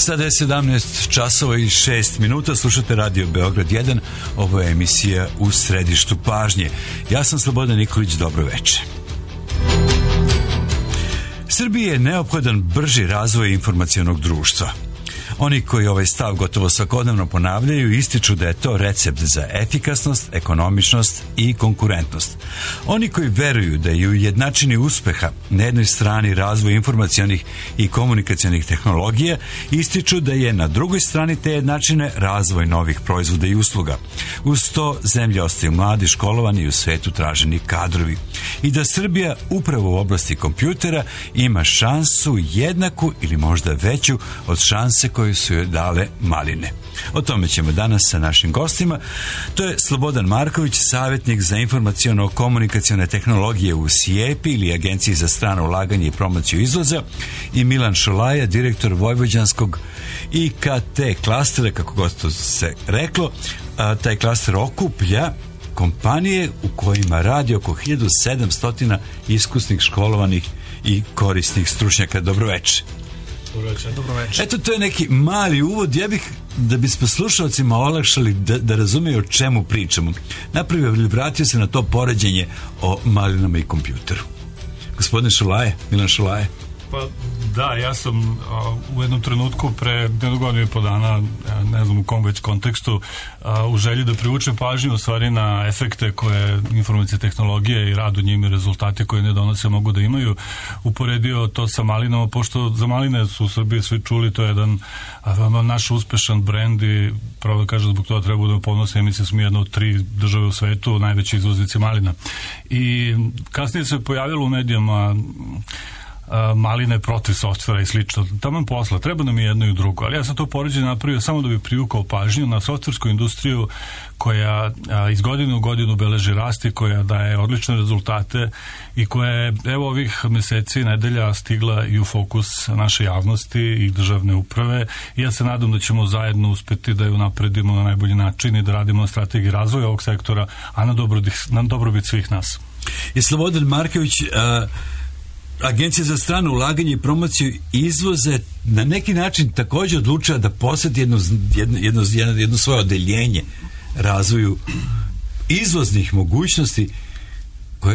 Sada je 17 časova i 6 minuta, slušate Radio Beograd 1, ovo je emisija U središtu pažnje. Ja sam Slobodan Nikolić, dobro večer. Srbiji je neophodan brži razvoj informacionog društva. Oni koji ovaj stav gotovo svakodnevno ponavljaju ističu da je to recept za efikasnost, ekonomičnost i konkurentnost. Oni koji veruju da je u jednačini uspeha na jednoj strani razvoj informacionih i komunikacionih tehnologija ističu da je na drugoj strani te jednačine razvoj novih proizvoda i usluga. Uz to zemlje ostaju mladi, školovani i u svetu traženi kadrovi. I da Srbija upravo u oblasti kompjutera ima šansu jednaku ili možda veću od šanse koje su joj dale maline. O tome ćemo danas sa našim gostima. To je Slobodan Marković, savjetnik za informaciono-komunikacione tehnologije u SIEPI ili Agenciji za strano ulaganje i promociju izvoza, i Milan Šolaja, direktor vojvođanskog IKT klastera, kako god to se reklo. Taj klaster okuplja kompanije u kojima radi oko 1700 iskusnih, školovanih i korisnih stručnjaka. Dobro večer. Dobro večer. Eto, to je neki mali uvod. Ja bih, da bismo slušalcima olakšali da razumeju o čemu pričamo, napravio ili vratio se na to poređenje o malinama i kompjuteru. Gospodine Šolaje, Milan Šolaje. Pa da, ja sam u jednom trenutku pre jednog godinu i po dana, ne znam u kom već kontekstu, u želji da privučem pažnju u stvari na efekte koje informacije tehnologije i rad u njima i rezultate koje ne donose mogu da imaju, uporedio to sa malinama, pošto za maline su u Srbiji svi čuli, to je jedan naš uspešan brend i pravo da kažem zbog toga treba budemo ponosni, mislim smo jedna od 3 države u svetu najveći izvoznici malina. I kasnije se pojavilo u medijama maline protiv softvera i slično. Taman posla, treba nam i jedno i drugo, ali ja sam to poređenje napravio samo da bi privukao pažnju na softversku industriju koja iz godine u godinu beleži rast i koja daje odlične rezultate i koja je evo ovih meseci i nedelja stigla i u fokus naše javnosti i državne uprave i ja se nadam da ćemo zajedno uspeti da ju napredimo na najbolji način i da radimo na strategiji razvoja ovog sektora, a na dobrobit svih nas. Je Slobodan Marković, Agencija za strano ulaganje i promociju izvoza na neki način također odlučila da posveti jedno svoje odeljenje razvoju izvoznih mogućnosti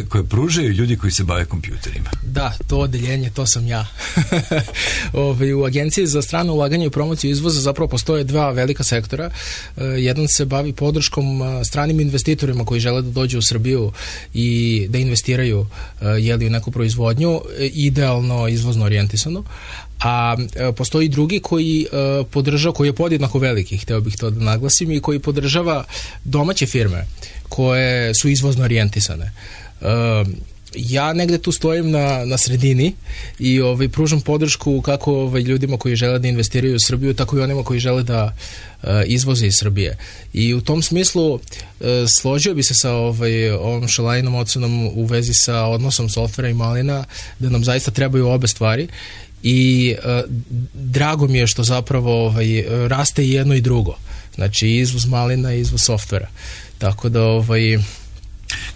koje pružaju ljudi koji se bave kompjuterima. Da, to odeljenje, to sam ja. U Agenciji za strano ulaganje i promociju izvoza zapravo postoje 2 velika sektora. Jedan se bavi podrškom stranim investitorima koji žele da dođu u Srbiju i da investiraju u neku proizvodnju, idealno izvozno orijentisano. A postoji drugi koji podržava, koji je podjednako veliki, hteo bih to da naglasim, i koji podržava domaće firme koje su izvozno orijentisane. Ja negde tu stojim na sredini i pružam podršku kako ljudima koji žele da investiraju u Srbiju, tako i onima koji žele da izvoze iz Srbije. I u tom smislu složio bi se sa ovom Šolajinom ocenom u vezi sa odnosom softvera i malina, da nam zaista trebaju obe stvari. I drago mi je što zapravo raste i jedno i drugo. Znači izvoz malina i izvoz softvera. Tako da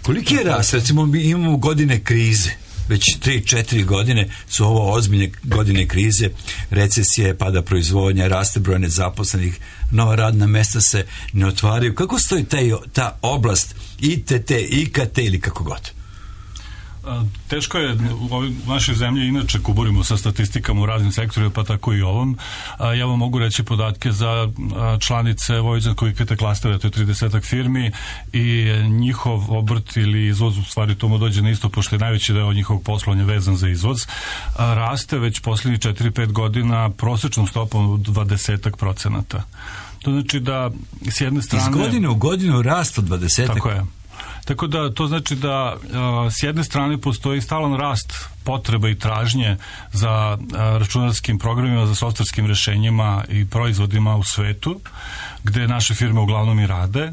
koliki je rast? Recimo mi imamo godine krize. Već 3-4 godine su ovo ozbiljne godine krize, recesije, pada proizvodnja, raste broj nezaposlenih, nova radna mesta se ne otvaraju. Kako stoji ta oblast ITT, IKT ili kako god? Teško je u našoj zemlji inače kuburimo sa statistikama u raznim sektorima, pa tako i ovom. Ja vam mogu reći podatke za članice vojvođanskog IKT klastera, to je 30 firmi i njihov obrt ili izvoz, u stvari tomu dođe na isto, pošto je najveći deo njihovog poslovanja vezan za izvoz, raste već posljednjih 4-5 godina prosječnom stopom od 20%. To znači da s jedne strane... Iz godine u godinu rast od 20%. Tako je. Tako da to znači da s jedne strane postoji stalan rast potreba i tražnje za računarskim programima, za softverskim rešenjima i proizvodima u svetu, gde naše firme uglavnom i rade.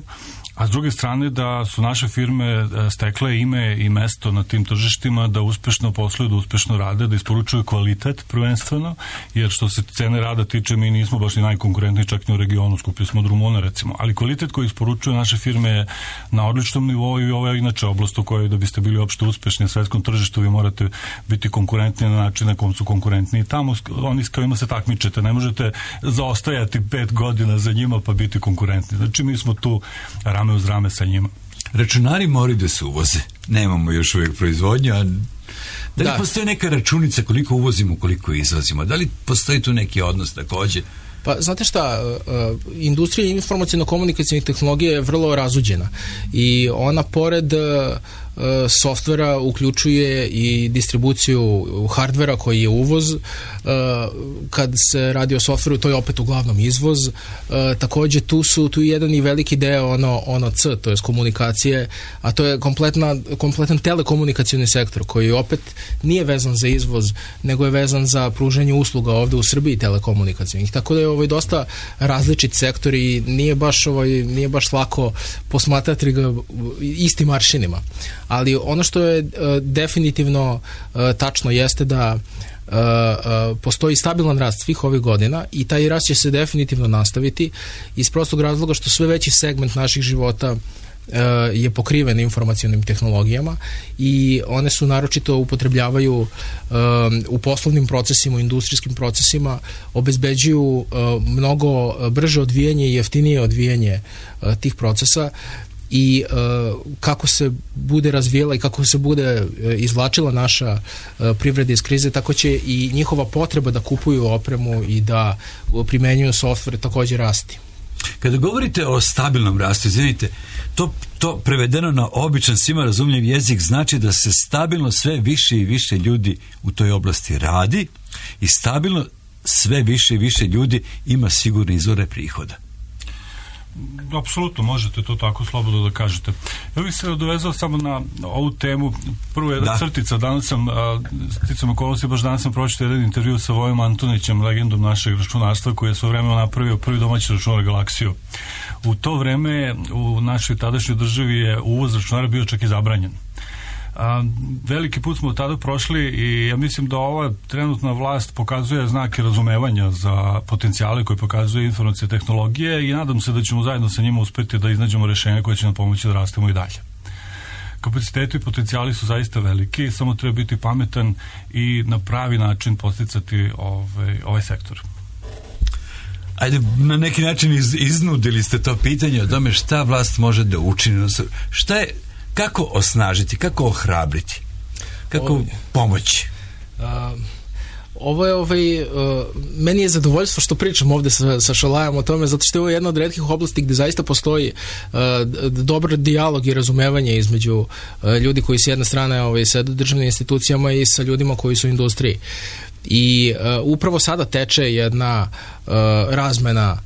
a s druge strane da su naše firme stekle ime i mesto na tim tržištima, da uspešno posluju, da uspešno rade, da isporučuju kvalitet prvenstveno, jer što se cene rada tiče, mi nismo baš ni najkonkurentniji čak ni u regionu, skuplji smo od Rumuna recimo, ali kvalitet koji isporučuju naše firme je na odličnom nivou i ovo je inače oblast u kojoj da biste bili uopšte uspešni na svetskom tržištu vi morate biti konkurentni na način na kom su konkurentni i tamo oni s kojima se takmičete, ne možete zaostajati 5 godina za njima pa biti konkurentni. Znači mi smo tu rame uz rame sa njima. Računari moraju da se uvoze. Nemamo još uvijek proizvodnju, a da li postoji neka računica koliko uvozimo, koliko izvozimo? Da li postoji tu neki odnos takođe? Pa, znate šta, industrija informacijno-komunikacijnih tehnologija je vrlo razuđena i ona pored softvera uključuje i distribuciju hardvera koji je uvoz. Kad se radi o softveru, to je opet uglavnom izvoz. Takođe tu je jedan i veliki deo ono C, to je komunikacije, a to je kompletan telekomunikacioni sektor koji opet nije vezan za izvoz, nego je vezan za pružanje usluga ovde u Srbiji telekomunikacijnih. Tako da je dosta različit sektor i nije baš lako posmatrati ga istim aršinima. Ali ono što je definitivno tačno jeste da postoji stabilan rast svih ovih godina i taj rast će se definitivno nastaviti iz prostog razloga što sve veći segment naših života je pokriven informacionim tehnologijama i one su naročito upotrebljavaju u poslovnim procesima, u industrijskim procesima, obezbeđuju mnogo brže odvijanje i jeftinije odvijanje tih procesa i kako se bude razvijela i kako se bude izvlačila naša privreda iz krize, tako će i njihova potreba da kupuju opremu i da primenjuju software takođe rasti. Kada govorite o stabilnom rastu, izvinite, to prevedeno na običan svima razumljiv jezik znači da se stabilno sve više i više ljudi u toj oblasti radi i stabilno sve više i više ljudi ima sigurne izvore prihoda. Apsolutno, možete to tako slobodno da kažete. Ja bih se dovezao samo na ovu temu. Prvo jedna crtica, danas sam sticam okolnosti, baš danas sam pročitao jedan intervju sa Vojom Antonićem, legendom našeg računarstva, koji je svoje vreme napravio prvi domaći računar Galaksiju. U to vreme u našoj tadašnjoj državi je uvoz računara bio čak i zabranjen. Veliki put smo od tada prošli i ja mislim da ova trenutna vlast pokazuje znake razumevanja za potencijale koje pokazuje informacije tehnologije i nadam se da ćemo zajedno sa njima uspeti da iznađemo rešenja koje će nam pomoći da rastemo i dalje. Kapaciteti i potencijali su zaista veliki, samo treba biti pametan i na pravi način podsticati ovaj sektor. Ajde, na neki način iznudili ste to pitanje o tome šta vlast može da učini. Kako osnažiti, kako ohrabriti, kako pomoći? Ovo je, meni je zadovoljstvo što pričam ovde sa Šolajom o tome, zato što je ovo jedna od retkih oblasti gde zaista postoji dobar dijalog i razumevanje između ljudi koji s jedne strane sede u državnim institucijama i sa ljudima koji su u industriji. I upravo sada teče jedna razmena,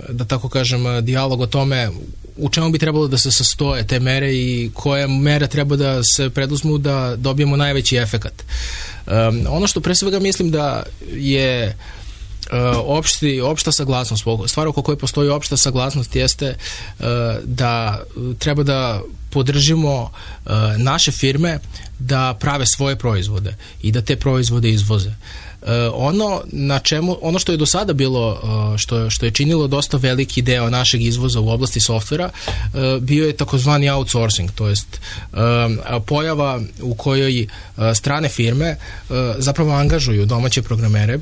da tako kažem, dijalog o tome u čemu bi trebalo da se sastoje te mere i koje mere treba da se preduzmu da dobijemo najveći efekat. Ono što pre svega mislim da je opšta saglasnost, stvar oko koje postoji opšta saglasnost jeste da treba da podržimo naše firme da prave svoje proizvode i da te proizvode izvoze. Ono što je do sada bilo, što je činilo dosta veliki deo našeg izvoza u oblasti softvera, bio je takozvani outsourcing, to jest pojava u kojoj strane firme zapravo angažuju domaće programere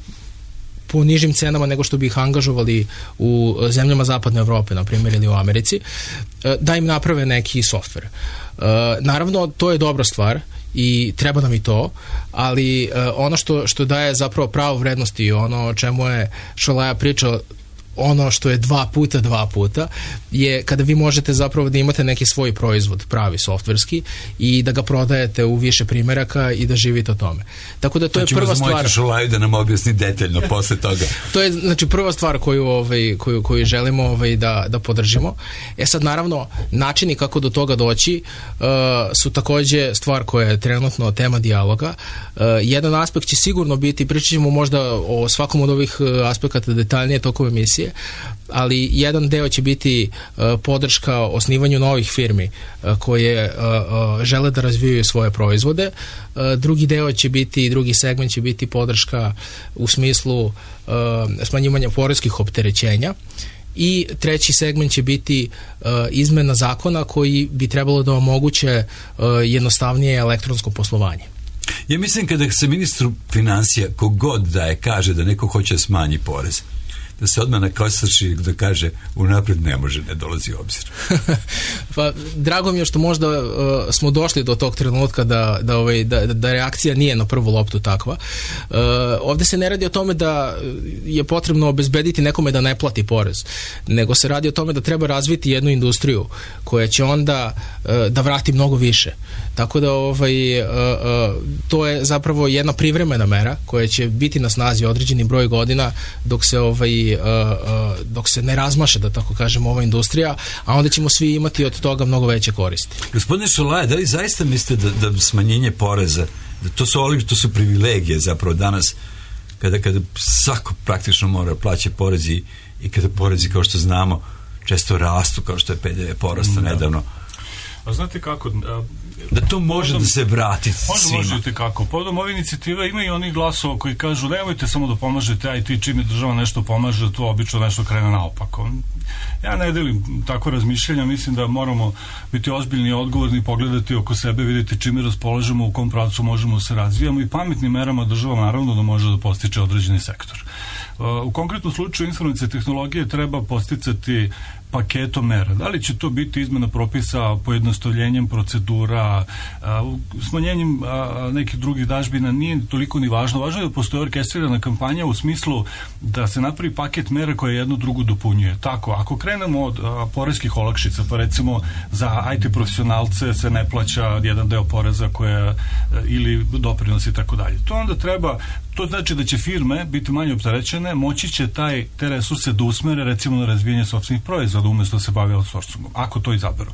po nižim cenama nego što bi ih angažovali u zemljama zapadne Evrope, na primjer, ili u Americi, da im naprave neki softver. Naravno, to je dobra stvar i treba nam i to, ali ono što daje zapravo pravu vrednost i ono o čemu je Šolaja pričao, ono što je dva puta je kada vi možete zapravo da imate neki svoj proizvod, pravi softverski, i da ga prodajete u više primeraka i da živite o tome. Tako da to je prva stvar. Ćemo Šolaju da nam objasni detaljno posle toga. To je znači prva stvar koju želimo da podržimo. Sad naravno načini kako do toga doći su takođe stvar koja je trenutno tema dijaloga. Jedan aspekt će sigurno biti, pričat ćemo možda o svakom od ovih aspekata detaljnije tokom emisije, konkurencije, ali jedan deo će biti podrška osnivanju novih firmi koje žele da razvijaju svoje proizvode. Drugi deo će biti, drugi segment će biti podrška u smislu smanjivanja poreskih opterećenja. I treći segment će biti izmena zakona koji bi trebalo da omoguće jednostavnije elektronsko poslovanje. Ja mislim kada se ministru financija kogod kaže da neko hoće smanji porez, da se odmah nakosrši da kaže unapred ne može, ne dolazi u obzir. Pa, drago mi je što možda smo došli do tog trenutka da reakcija nije na prvu loptu takva. Ovde se ne radi o tome da je potrebno obezbediti nekome da ne plati porez, nego se radi o tome da treba razviti jednu industriju koja će onda da vrati mnogo više. Tako da to je zapravo jedna privremena mera koja će biti na snazi određeni broj godina dok se ne razmaše, da tako kažemo, ova industrija, a onda ćemo svi imati od toga mnogo veće koristi. Gospodine Šolaja, da li zaista mislite da smanjenje poreza, to su privilegije zapravo danas, kada svako praktično mora plaćati porezi i kada porezi, kao što znamo, često rastu, kao što je PDV porasta nedavno. A znate kako... Da to može da se vrati svima. Možete kako. Povodom ove inicijative ima i onih glasova koji kažu nemojte samo da pomažete, a i ti čim je država nešto pomaže, to obično nešto krene naopako. Ja ne delim tako razmišljanja, mislim da moramo biti ozbiljni i odgovorni, pogledati oko sebe, vidjeti čime raspolažemo, u kom pravcu možemo da se razvijamo i pametnim merama država naravno da može da postiče određeni sektor. U konkretnom slučaju informacije tehnologije treba posticati paketom mera. Da li će to biti izmena propisa, pojednostavljenjem procedura, smanjenjem nekih drugih dažbina, nije toliko ni važno. Važno je da postoji orkestrirana kampanja u smislu da se napravi paket mera koje jedno drugo dopunjuje. Tako, ako krenemo od poreskih olakšica, pa recimo za IT profesionalce se ne plaća jedan deo poreza ili doprinosi i tako dalje. To onda treba, to znači da će firme biti manje opterećene, moći će te resurse da usmere recimo na razvijenje sopstvenih proizvoda umjesto da se bave outsourcingom, ako to izaberu.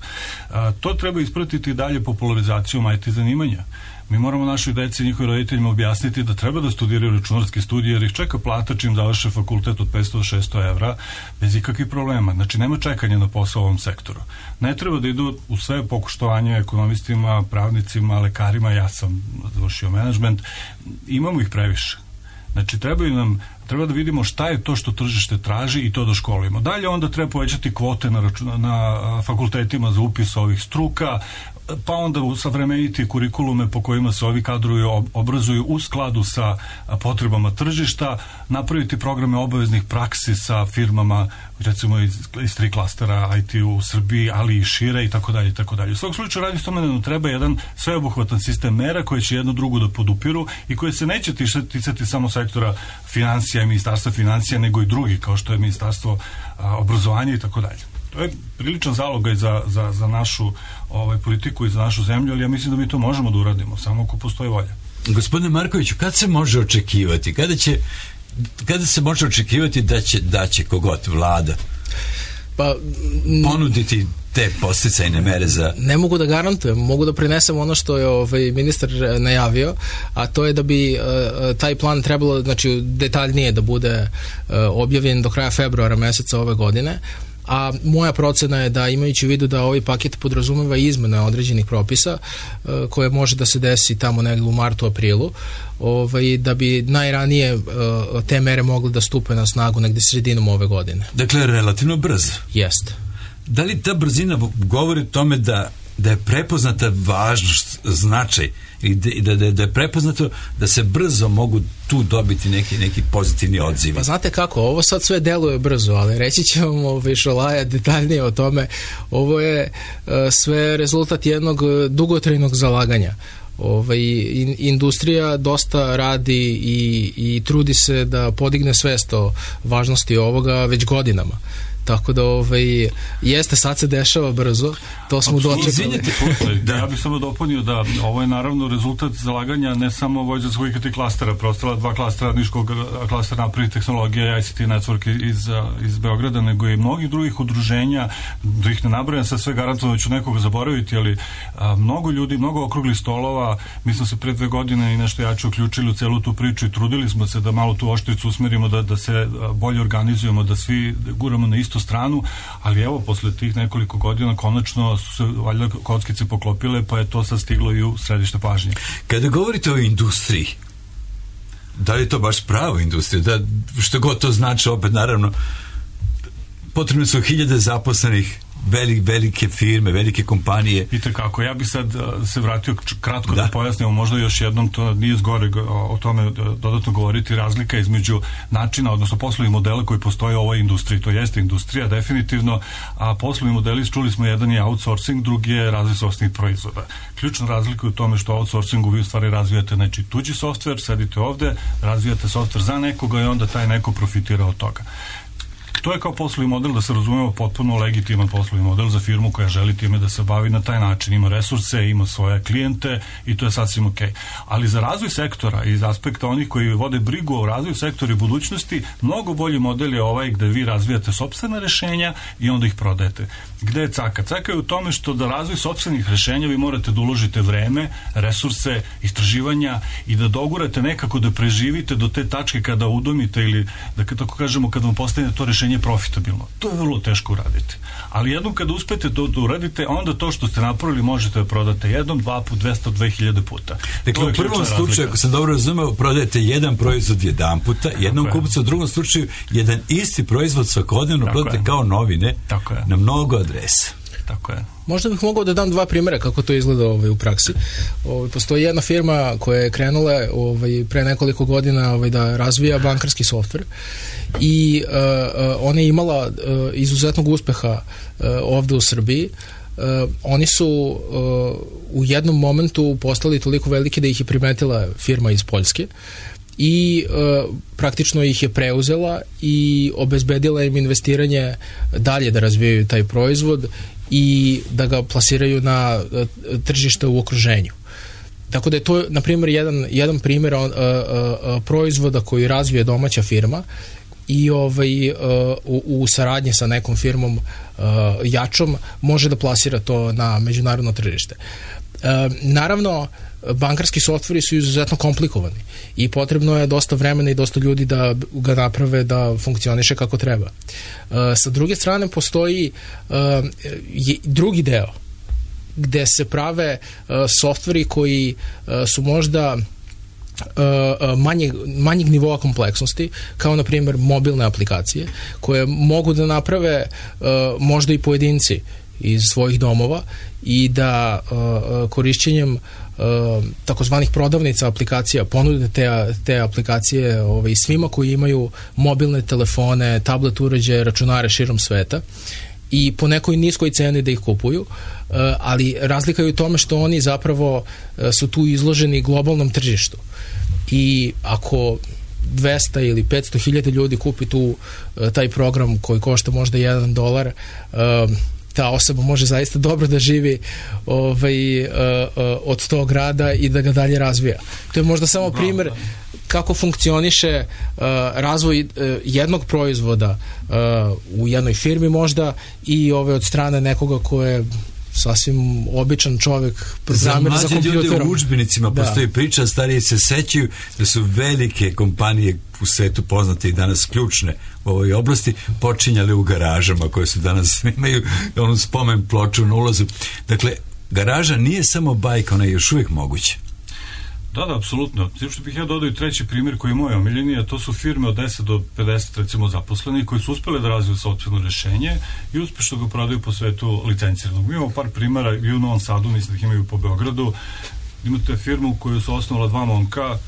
To treba ispratiti dalje popularizacijom IT zanimanja. Mi moramo našoj deci i njihovim roditeljima objasniti da treba da studiraju računarske studije jer ih čeka plata čim završe fakultet od 500 do 600 evra bez ikakvih problema. Znači nema čekanja na posao u ovom sektoru. Ne treba da idu u sve pokuštovanje ekonomistima, pravnicima, lekarima, ja sam završio menadžment, imamo ih previše. Znači treba da vidimo šta je to što tržište traži i to da školimo. Dalje onda treba povećati kvote na fakultetima za upis ovih struka, pa onda usavremeniti kurikulume po kojima se ovi kadrovi obrazuju u skladu sa potrebama tržišta, napraviti programe obaveznih praksi sa firmama, recimo iz 3 klastera IT u Srbiji, ali i šire i tako dalje i tako dalje. U svog slučaju radi s tome da nam treba jedan sveobuhvatan sistem mera koje će jedno drugo da podupiru i koje se neće ticati samo sektora financija i ministarstva financija, nego i drugi, kao što je ministarstvo obrazovanja i tako dalje. To je priličan zalogaj za našu politiku i za našu zemlju, ali ja mislim da mi to možemo da uradimo, samo ako postoji volja. Gospodine Markoviću, kad se može očekivati? Kada se može očekivati da će kogod vlada ponuditi te podsticajne mere za... Ne mogu da garantujem, mogu da prinesem ono što je ministar najavio, a to je da bi taj plan trebalo, znači, detaljnije da bude objavljen do kraja februara meseca ove godine, a moja procena je da, imajući u vidu da ovaj paket podrazumeva izmene određenih propisa koje može da se desi tamo negdje u martu, aprilu, da bi najranije te mere mogle da stupe na snagu negdje sredinom ove godine. Dakle, relativno brzo. Jeste. Da li ta brzina govori o tome da je prepoznata važnost, značaj i da je prepoznato da se brzo mogu tu dobiti neki pozitivni odzivi? Pa znate kako, ovo sad sve deluje brzo, ali reći će vam Šolaja detaljnije o tome. Ovo je sve rezultat jednog dugotrajnog zalaganja. Industrija dosta radi i trudi se da podigne svest o važnosti ovoga već godinama. Tako da jeste, sad se dešava brzo, to smo dočekali. Ja bih samo dopunio da ovo je naravno rezultat zalaganja ne samo vojvođanskog IKT klastera, preostala 2 klastera, niškog klastera naprednih tehnologija, ICT Network iz Beograda, nego i mnogih drugih udruženja, da ih ne nabrajam, sad sve garantovano ću nekoga zaboraviti, ali mnogo ljudi, mnogo okruglih stolova, mi smo se pre 2 godine i nešto jače uključili u celu tu priču i trudili smo se da malo tu oštricu usmerimo, da se bolje organizujemo, da svi guramo na istu stranu, ali evo, posle tih nekoliko godina konačno su se valjda kockice poklopile, pa je to sad stiglo i u središte pažnje. Kada govorite o industriji, da li je to baš pravo industrija? Da, što god to znači, opet naravno, potrebno su 1000 zaposlenih, velike firme, velike kompanije. I tako, ja bi sad se vratio kratko da pojasnimo, možda još jednom, to nije zgore o tome dodatno govoriti, razlika između načina, odnosno poslovnih modela koji postoje u ovoj industriji. To jeste industrija, definitivno, a poslovni modeli, čuli smo, jedan je outsourcing, drugi je razvoj sopstvenih proizvoda. Ključna razlika je u tome što outsourcingu vi u stvari razvijate tuđi softver, sedite ovde, razvijate softver za nekoga i onda taj neko profitira od toga. To je kao poslovni model, da se razumemo, potpuno legitiman poslovni model za firmu koja želi time da se bavi na taj način. Ima resurse, ima svoje klijente i to je sasvim ok. Ali za razvoj sektora iz aspekta onih koji vode brigu o razvoju sektora i budućnosti, mnogo bolji model je ovaj gde vi razvijate sopstvena rešenja i onda ih prodajete. Gde je caka? Caka je u tome što da razvoj sopstvenih rešenja vi morate da uložite vreme, resurse, istraživanja i da dogurate nekako da preživite do te tačke kada udomite ili da tako kažemo kada vam postane to rešenje profitabilno. To je vrlo teško uraditi. Ali jednom kada uspete da uradite, onda to što ste napravili možete da prodate jednom, 2 put, 200, 2000 puta. Dakle, u prvom slučaju, ako sam dobro razumeo, prodajete jedan proizvod jedan puta, jednom kupcu, u drugom slučaju jedan isti proizvod svakodnevno prodajete kao novine na mnogo adresa. Tako je. Možda bih mogao da dam 2 primjera kako to izgleda u praksi. Postoji jedna firma koja je krenula pre nekoliko godina da razvija bankarski softver i ona je imala izuzetnog uspeha ovde u Srbiji. Oni su u jednom momentu postali toliko veliki da ih je primetila firma iz Poljske i praktično ih je preuzela i obezbedila im investiranje dalje da razvijaju taj proizvod i da ga plasiraju na tržište u okruženju. Tako da je to, na primjer, jedan primjer proizvoda koji razvije domaća firma i u saradnji sa nekom firmom jačom može da plasira to na međunarodno tržište. Naravno, bankarski softveri su izuzetno komplikovani i potrebno je dosta vremena i dosta ljudi da ga naprave da funkcioniše kako treba. Sa druge strane postoji drugi deo gde se prave softveri koji su možda manjeg nivoa kompleksnosti, kao na primjer mobilne aplikacije koje mogu da naprave možda i pojedinci iz svojih domova i da korišćenjem takozvanih prodavnica aplikacija ponude te aplikacije svima koji imaju mobilne telefone, tablet uređaje, računare širom sveta i po nekoj niskoj ceni da ih kupuju, ali razlika je u tome što oni zapravo su tu izloženi globalnom tržištu i ako 200 ili 500 hiljada ljudi kupi taj program koji košta možda $1, ta osoba može zaista dobro da živi od tog rada i da ga dalje razvija. To je možda samo primjer kako funkcioniše razvoj jednog proizvoda u jednoj firmi možda i od strane nekoga ko je sasvim običan čovjek, programer za kompjuterom. Za mlađe ljude u udžbenicima postoji priča, stariji se sećaju da su velike kompanije u svetu poznate i danas ključne u ovoj oblasti počinjale u garažama koje su danas imaju onu spomen ploču na ulazu. Dakle, garaža nije samo bajka, ona je još uvijek moguća. Da, apsolutno. Tim što bih ja dodao i treći primjer koji je moj omiljeni, a to su firme od 10 do 50 recimo zaposlenih koji su uspjeli da razviju sopstveno rešenje i uspješno ga prodaju po svetu licenciranog. Mi imamo par primjera i u Novom Sadu, mislim da ih imaju po Beogradu. Imate firmu koju su osnovala 2 momka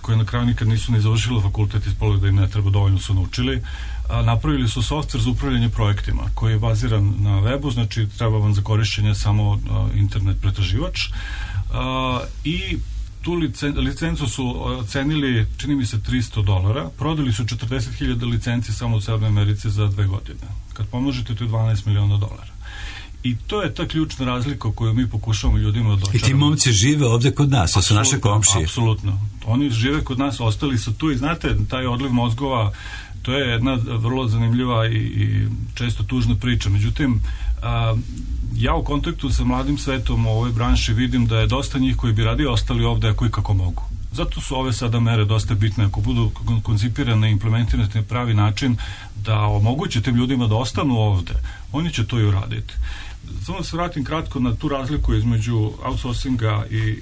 koje na kraju nikad nisu ni završili fakultet, ispalo da im ne treba, dovoljno su naučili. Napravili su softver za upravljanje projektima koji je baziran na webu, znači treba vam za korišćenje samo internet pretraživač i tu licencu su cenili, čini mi se, $300, prodali su 40.000 licenci samo u Severnoj Americi za 2 godine. Kad pomnožite, to je $12 miliona. I to je ta ključna razlika koju mi pokušavamo ljudima da očaramo. I ti momci žive ovde kod nas, to su naše komšije. Apsolutno. Oni žive kod nas, ostali su tu i znate, taj odliv mozgova, to je jedna vrlo zanimljiva i često tužna priča. Međutim, ja u kontaktu sa mladim svetom u ovoj branši vidim da je dosta njih koji bi radije ostali ovde ako i kako mogu. Zato su ove sada mere dosta bitne. Ako budu koncipirane i implementirane na pravi način da omoguće tim ljudima da ostanu ovde, oni će to i uraditi. Samo se vratim kratko na tu razliku između outsourcinga i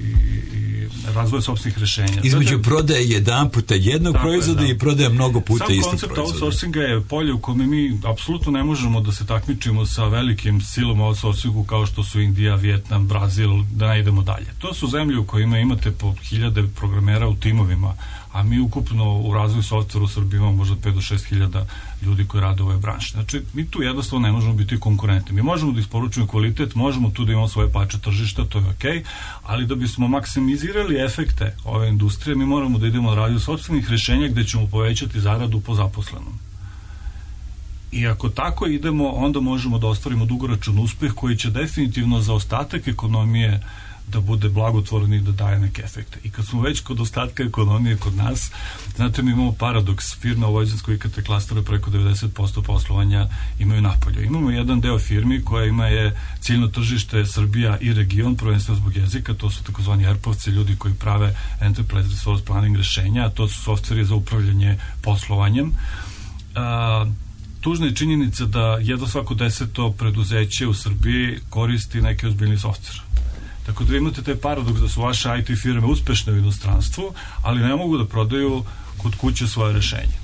razvoja sopstvenih rešenja. Između prodaje jedan puta jednog proizvoda i prodaje mnogo puta istog proizvoda. Sam koncept outsourcinga je polje u kome mi apsolutno ne možemo da se takmičimo sa velikim silom outsourcingu kao što su Indija, Vijetnam, Brazil, da ne idemo dalje. To su zemlje u kojima imate po 1000 programera u timovima, a mi ukupno u razvoju softvera u Srbiji imamo možda 5 do 6.000 ljudi koji rade u ovoj branši. Znači, mi tu jednostavno ne možemo biti konkurentni. Mi možemo da isporučujemo kvalitet, možemo tu da imamo svoje pače tržišta, to je okej, ali da bismo maksimizirali efekte ove industrije, mi moramo da idemo na razvoj sopstvenih rešenja gde ćemo povećati zaradu po zaposlenom. I ako tako idemo, onda možemo da ostvarimo dugoročan uspeh koji će definitivno za ostatak ekonomije da bude blagotvoran i da daje neke efekte. I kad smo već kod ostatka ekonomije kod nas, znate, mi imamo paradoks. Firme u Vojvodinskoj IKT klastera preko 90% poslovanja imaju napolju. Imamo jedan deo firmi koja ima je ciljno tržište Srbija i region, prvenstveno zbog jezika, to su takozvani ERP-ovci, ljudi koji prave Enterprise Resource Planning rešenja, a to su softveri za upravljanje poslovanjem. Tužna je činjenica da jedno svako 10. preduzeće u Srbiji koristi neki ozbiljni softver. Tako da vi imate taj paradoks da su vaše IT firme uspešne u inostranstvu, ali ne mogu da prodaju kod kuće svoje rešenje.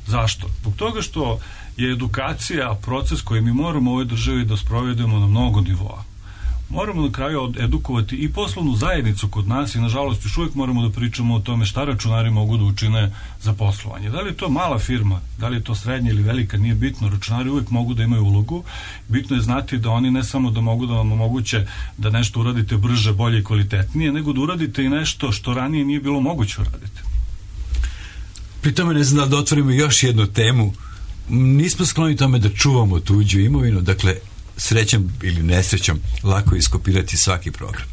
Zašto? Zbog toga što je edukacija proces koji mi moramo u ovoj državi da sprovedemo na mnogo nivoa. Moramo na kraju edukovati i poslovnu zajednicu kod nas i nažalost još uvijek moramo da pričamo o tome šta računari mogu da učine za poslovanje. Da li je to mala firma, da li je to srednja ili velika, nije bitno. Računari uvijek mogu da imaju ulogu. Bitno je znati da oni ne samo da mogu da vam omoguće da nešto uradite brže, bolje i kvalitetnije, nego da uradite i nešto što ranije nije bilo moguće uraditi. Pri tome ne znam da otvorimo još jednu temu. Nismo skloni tome da čuvamo tuđu imovinu, dakle srećom ili nesrećom lako je iskopirati svaki program.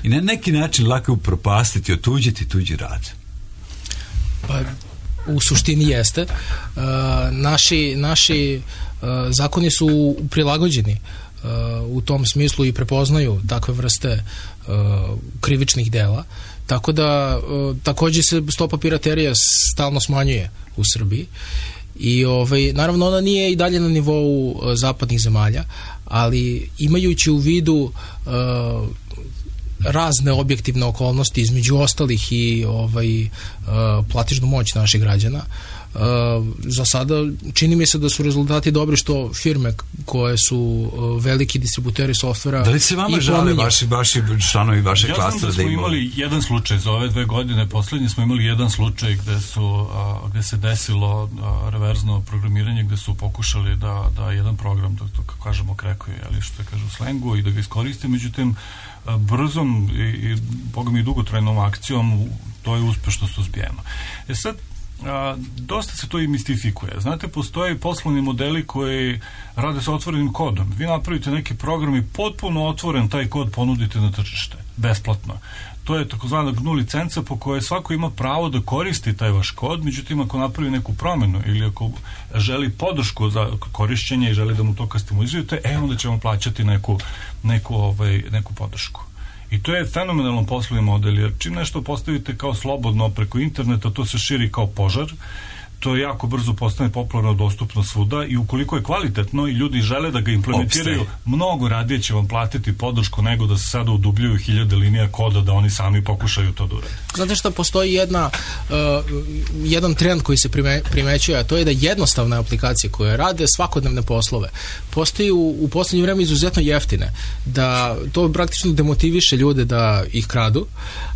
I na neki način lako je upropastiti, otuđiti tuđi rad. Pa, u suštini jeste. Naši zakoni su prilagođeni u tom smislu i prepoznaju takve vrste krivičnih dela. Tako da takođe se stopa piraterija stalno smanjuje u Srbiji. I naravno ona nije i dalje na nivou zapadnih zemalja, ali imajući u vidu razne objektivne okolnosti, između ostalih i platišnu moć naših građana, za sada čini mi se da su rezultati dobri, što firme koje su veliki distributeri softvera. Da li se vama žale vaši članovi vaše klastera? Ja znam da smo imali jedan slučaj za ove 2 godine, poslednje smo imali jedan slučaj gde se desilo reverzno programiranje, gde su pokušali da jedan program, da kako kažemo krekuje, ali što se kaže u slengu, i da ga iskoriste, međutim brzom i boga mi dugotrajnom akcijom to je uspešno suzbijeno. Sad, dosta se to i mistifikuje. Znate, postoje poslovni modeli koji rade sa otvorenim kodom. Vi napravite neki program i potpuno otvoren taj kod ponudite na tržište, besplatno. To je takozvana GNU licenca po kojoj svako ima pravo da koristi taj vaš kod, međutim ako napravi neku promenu ili ako želi podršku za korišćenje i želi da mu to kastimizujete, onda ćemo plaćati neku podršku. I to je fenomenalan poslovni model, jer čim nešto postavite kao slobodno preko interneta, to se širi kao požar, to jako brzo postane popularno, dostupno svuda, i ukoliko je kvalitetno i ljudi žele da ga implementiraju, mnogo radije će vam platiti podršku nego da se sada udubljuju 1000 linija koda da oni sami pokušaju to da urade. Znate što, postoji jedan trend koji se primećuje, a to je da jednostavne aplikacije koje rade svakodnevne poslove postaju u poslednje vreme izuzetno jeftine, da to praktično demotiviše ljude da ih kradu,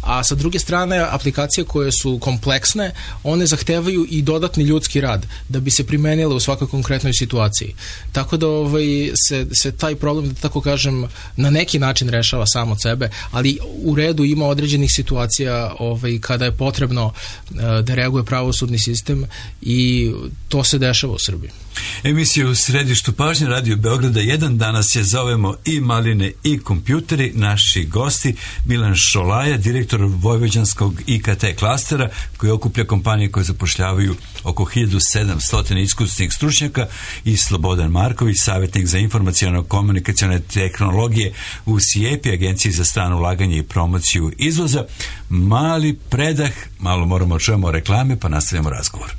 a sa druge strane aplikacije koje su kompleksne, one zahtevaju i dodatne dodatni ljudski rad da bi se primenile u svakoj konkretnoj situaciji. Tako da se taj problem, da tako kažem, na neki način rešava sam od sebe, ali u redu ima određenih situacija kada je potrebno da reaguje pravosudni sistem i to se dešava u Srbiji. Emisija u središtu pažnje Radio Beograda 1. Danas je zovemo i maline i kompjuteri. Naši gosti Milan Šolaja, direktor Vojvođanskog IKT klastera koji okuplja kompanije koje zapošljavaju oko 1700 iskusnih stručnjaka, i Slobodan Marković, savjetnik za informaciono-komunikacione tehnologije u SIEPI, Agenciji za strano ulaganje i promociju izvoza. Mali predah, malo moramo čujemo reklame pa nastavljamo razgovor.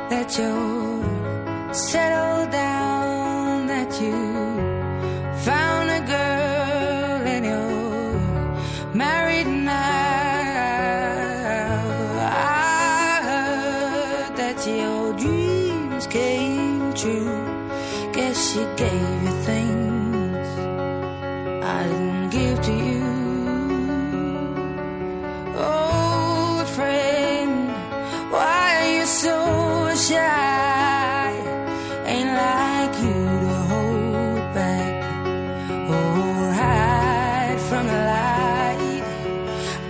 That you're settled down, that you found a girl and you're married now. I heard that your dreams came true. Guess she gave you things I didn't give to you. Old friend, why are you so shy? Ain't like you to hold back or hide from the light.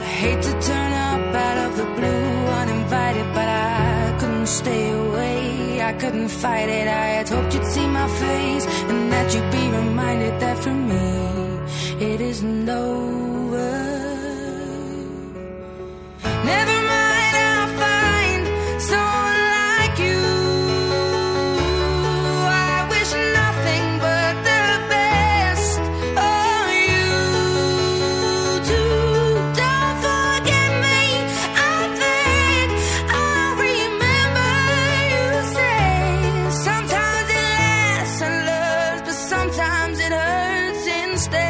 I hate to turn up out of the blue uninvited, but I couldn't stay away. I couldn't fight it. I had hoped you'd see my face and that you'd be reminded that for me it isn't over. Never mind, I'll find someone like you. I wish nothing but the best for you too. Don't forget me, I think I'll remember you say. Sometimes it lasts and loves, but sometimes it hurts instead.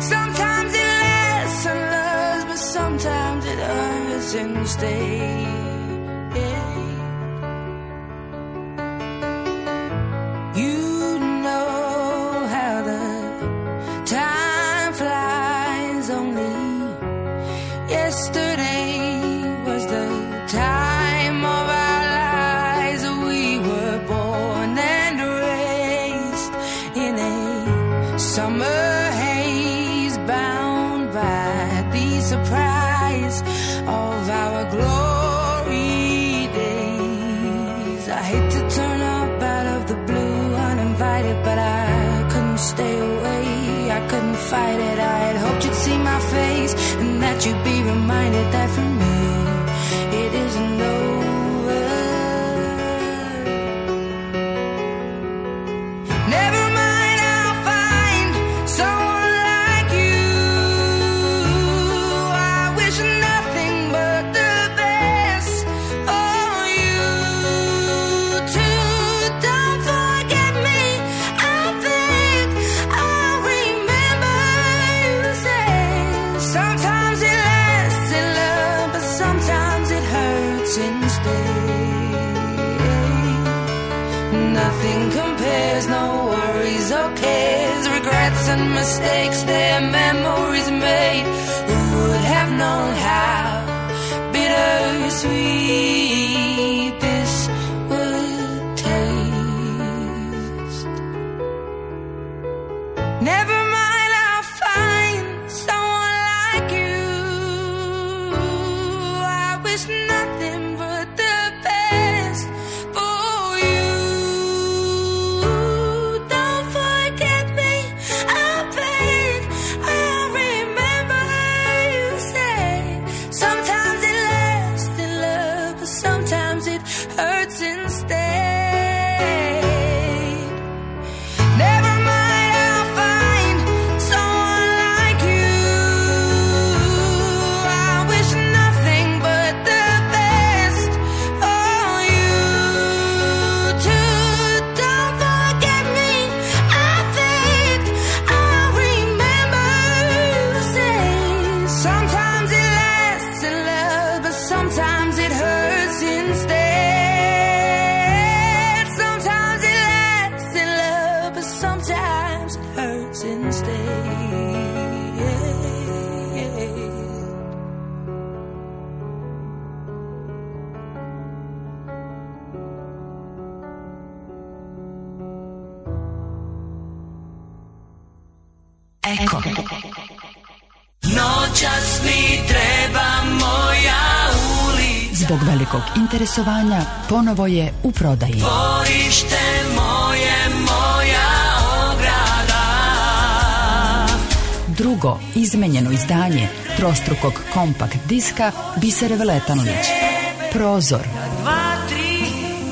Sometimes it lasts and loves, but sometimes it hurts instead. You know how the time flies. Only yesterday was the time of our lives. We were born and raised in a summer haze, bound by the surprise of our glory days. I hate to turn up out of the blue uninvited, but I couldn't stay away. I couldn't fight it. I had hoped you'd see my face and that you'd be reminded that for me it isn't over. Never mind, I'll find someone like you. I wish nothing but the best for you too. Don't forget me, I think I'll remember you say. Sometimes it lasts in love, but sometimes it hurts instead. Nothing compares, no worries or cares, regrets and mistakes, their memories made. Who would have known how bittersweet this would taste? Never mind, I'll find someone like you. I wish nothing but the best for you. Don't forget me, I think I'll remember you say. Sometimes it lasts in love, but sometimes it hurts instead. Never mind, I'll find Eko. Noćas mi treba moja ulica. Zbog velikog interesovanja ponovo je u prodaji. Dvorište moje, moja ograda. Drugo izmenjeno izdanje trostrukog kompakt diska Bisere Veletanović. Prozor. 2-3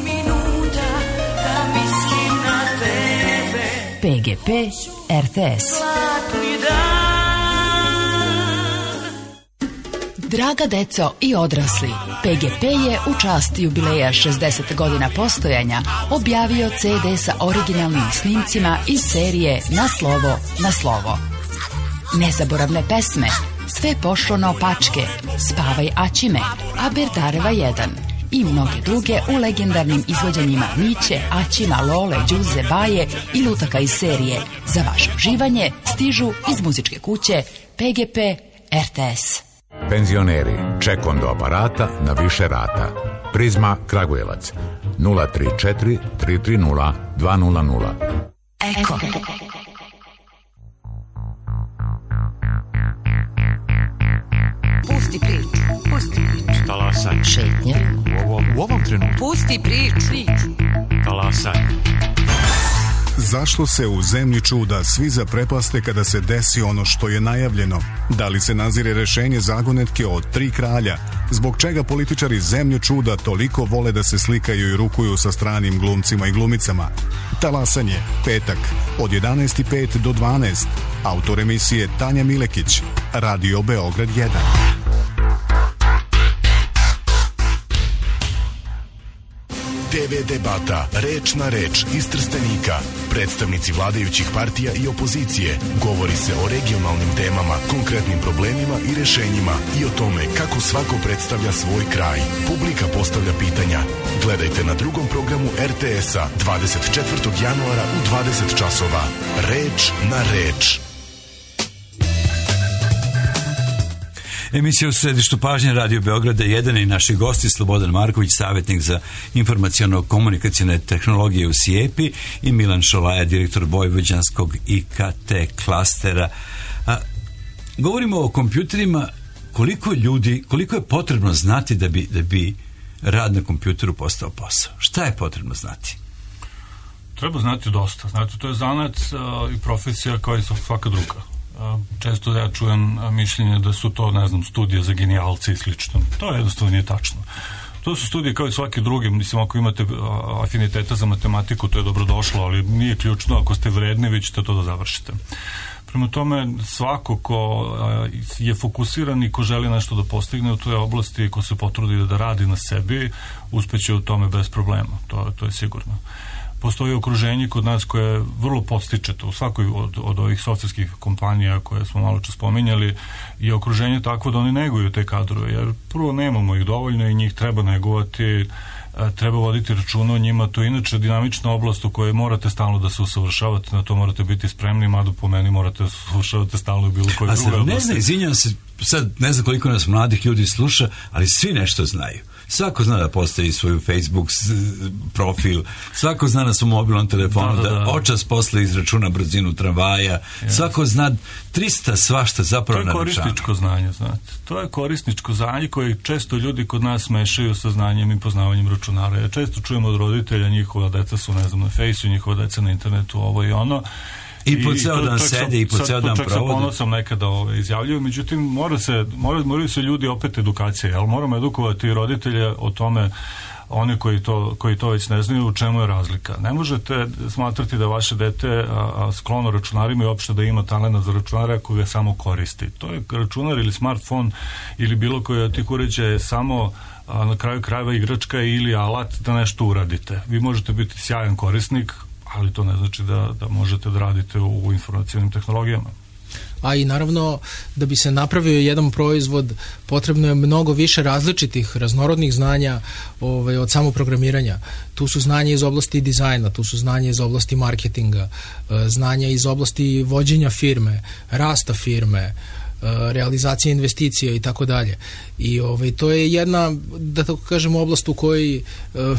minuta da mislim na tebe. PGP RTS. Zlatni dan. Draga deco i odrasli, PGP je u čast jubileja 60 godina postojanja objavio CD sa originalnim snimcima iz serije Na slovo, na slovo. Nezaboravne pesme, Sve pošlo naopačke, Spavaj Aćime, Aberdareva 1 i mnoge druge u legendarnim izvođenjima Miće, Aćima, Lole, Đuze, Baje i lutaka iz serije za vaše uživanje stižu iz muzičke kuće PGP RTS. Penzioneri, ček do aparata na više rata. Prizma Kragujevac 034 330 200. Eko. Pusti priču, pusti priču. Talasaj. Šetnje. U ovom trenutku. Pusti priču. Talasaj. Zašto se u zemlji čuda svi zaprepaste kada se desi ono što je najavljeno? Da li se nazire rešenje zagonetke od 3 kralja? Zbog čega političari zemlju čuda toliko vole da se slikaju i rukuju sa stranim glumcima i glumicama? Talasanje, petak, od 11:05 do 12. Autor emisije Tanja Milekić, Radio Beograd 1. TV debata, reč na reč iz Trstenika. Predstavnici vladajućih partija i opozicije. Govori se o regionalnim temama, konkretnim problemima i rešenjima i o tome kako svako predstavlja svoj kraj. Publika postavlja pitanja. Gledajte na drugom programu RTS-a 24. januara u 20 časova. Reč na reč. Emisija u središtu pažnje Radio Beograda 1 i naši gosti Slobodan Marković, savjetnik za informaciono-komunikacijne tehnologije u SIEPI i Milan Šolaja, direktor vojvođanskog IKT klastera. Govorimo o kompjuterima, koliko je potrebno znati da bi rad na kompjuteru postao posao? Šta je potrebno znati? Treba znati dosta. Znate, to je zanat i profesija kao i svaka druga. Često ja čujem mišljenje da su to, ne znam, studije za genijalce i slično. To jednostavno nije tačno. To su studije kao i svaki drugi. Mislim, ako imate afiniteta za matematiku, to je dobrodošlo, ali nije ključno. Ako ste vredni, vi ćete to da završite. Prema tome, svako ko je fokusiran i ko želi nešto da postigne u toj oblasti, ko se potrudi da radi na sebi, uspeće u tome bez problema. To je sigurno. Postoji okruženje kod nas koje vrlo podstičete u svakoj od ovih softverskih kompanija koje smo malo čas spominjali, je okruženje takvo da oni neguju te kadrove, jer prvo nemamo ih dovoljno i njih treba negovati, treba voditi računa o njima. To je inače dinamična oblast u kojoj morate stalno da se usavršavate, na to morate biti spremni, mada po meni morate da se usavršavate stalno u bilo kojoj drugoj oblasti. Ne znam, izvinjam se, sad ne znam koliko nas mladih ljudi sluša, ali svi nešto znaju. Svako zna da postavi svoju Facebook profil, svako zna na svom mobilnom telefonu da očas posle izračuna brzinu tramvaja, svako zna 300 svašta zapravo na računu. To je korisničko znanje, znate. To je korisničko znanje koje često ljudi kod nas mešaju sa znanjem i poznavanjem računara. Ja često čujem od roditelja, njihova deca su, ne znam, na fejsu, njihova deca na internetu, ovo i ono. I po ceo dan sede i po ceo dan provode. Čak sa ponosom nekada izjavljuju, međutim moraju se ljudi opet edukacije, ali moramo edukovati roditelje o tome, oni koji to već ne znaju, u čemu je razlika. Ne možete smatrati da vaše dete sklono računarima i uopšte da ima talent za računare ako ga samo koristi. To je računar ili smartfon ili bilo koji od tih uređaja je samo na kraju krajeva igračka ili alat da nešto uradite. Vi možete biti sjajan korisnik, ali to ne znači da možete da radite u informacionim tehnologijama. A i naravno, da bi se napravio jedan proizvod, potrebno je mnogo više različitih, raznorodnih znanja od samoprogramiranja. Tu su znanja iz oblasti dizajna, tu su znanja iz oblasti marketinga, znanja iz oblasti vođenja firme, rasta firme, realizacija investicija i tako dalje. I to je jedna, da tako kažem, oblast u kojoj